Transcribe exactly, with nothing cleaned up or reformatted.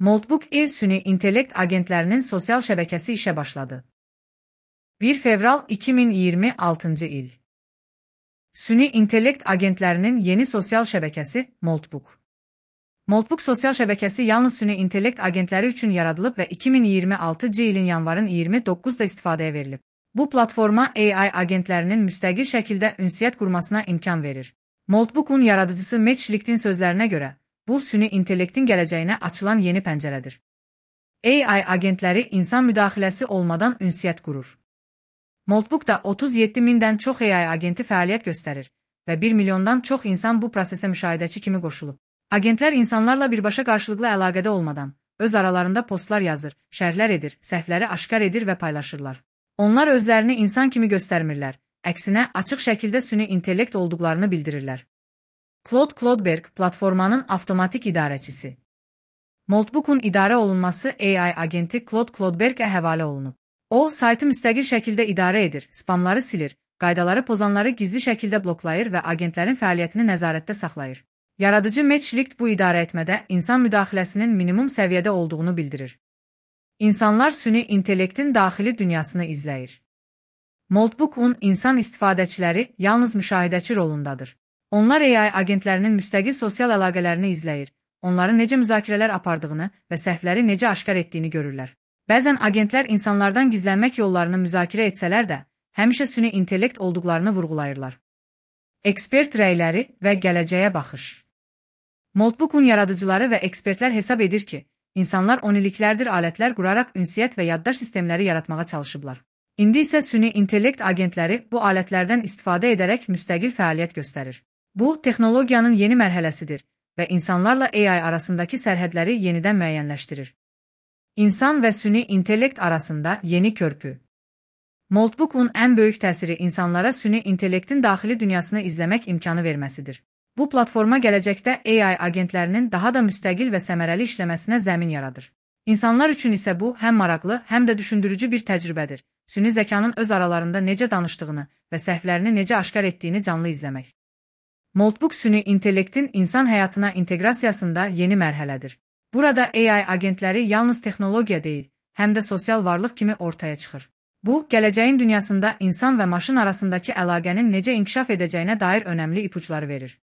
Moltbook Air süni intellekt agentlərinin sosial şəbəkəsi işə başladı. bir fevral iki min iyirmi altıncı il. Süni intellekt agentlərinin yeni sosial şəbəkəsi Moltbook. Moltbook sosial şəbəkəsi yalnız süni intellekt agentləri üçün yaradılıb və iki min iyirmi altıncı ilin yanvarın iyirmi doqquzunda istifadəyə verilib. Bu platforma A I agentlərinin müstəqil şəkildə ünsiyyət qurmasına imkan verir. Moltbook'un yaradıcısı Matt Schlicht'in sözlərinə görə, bu süni intellektin gələcəyinə açılan yeni pəncərədir. A I agentləri insan müdaxiləsi olmadan ünsiyyət qurur. Moltbook'da otuz yeddi mindən çox A I agenti fəaliyyət göstərir və bir milyondan çox insan bu prosesə müşahidəçi kimi qoşulub. Agentlər insanlarla birbaşa qarşılıqlı əlaqədə olmadan, öz aralarında postlar yazır, şərhlər edir, səhvləri aşkar edir və paylaşırlar. Onlar özlərini insan kimi göstərmirlər, əksinə açıq şəkildə süni intellekt olduqlarını bildirirlər. Claude Clodberg, platformanın avtomatik idarəçisi. Moltbook'un idarə olunması A I agenti Claude Clodberg'ə həvalə olunub. O, saytı müstəqil şəkildə idarə edir, spamları silir, qaydaları pozanları gizli şəkildə bloklayır və agentlərin fəaliyyətini nəzarətdə saxlayır. Yaradıcı Matt Schlicht bu idarə etmədə insan müdaxiləsinin minimum səviyyədə olduğunu bildirir. İnsanlar süni intellektin daxili dünyasını izləyir. Moltbook'un insan istifadəçiləri yalnız müşahidəçi rolundadır. Onlar A I agentlərinin müstəqil sosial əlaqələrini izləyir, onların necə müzakirələr apardığını və səhvləri necə aşkar etdiyini görürlər. Bəzən agentlər insanlardan gizlənmək yollarını müzakirə etsələr də, həmişə süni intellekt olduqlarını vurğulayırlar. Ekspert rəyləri və gələcəyə baxış. Moltbook'un yaradıcıları və ekspertlər hesab edir ki, insanlar on illiklərdir alətlər quraraq ünsiyyət və yaddaş sistemləri yaratmağa çalışıblar. İndi isə süni intellekt agentləri bu alətlərdən istifadə edərək müstəqil fəaliyyət göstərir. Bu, texnologiyanın yeni mərhələsidir və insanlarla A I arasındakı sərhədləri yenidən müəyyənləşdirir. İnsan və süni intellekt arasında yeni körpü. Moltbook'un ən böyük təsiri insanlara süni intellektin daxili dünyasını izləmək imkanı verməsidir. Bu platforma gələcəkdə A I agentlərinin daha da müstəqil və səmərəli işləməsinə zəmin yaradır. İnsanlar üçün isə bu həm maraqlı, həm də düşündürücü bir təcrübədir. Süni zəkanın öz aralarında necə danışdığını və səhvlərini necə aşkar etdiyini canlı izləmək. Moltbook süni intellektin insan həyatına inteqrasiyasında yeni mərhələdir. Burada A I agentləri yalnız texnologiya deyil, həm də sosial varlıq kimi ortaya çıxır. Bu, gələcəyin dünyasında insan və maşın arasındakı əlaqənin necə inkişaf edəcəyinə dair önəmli ipuçları verir.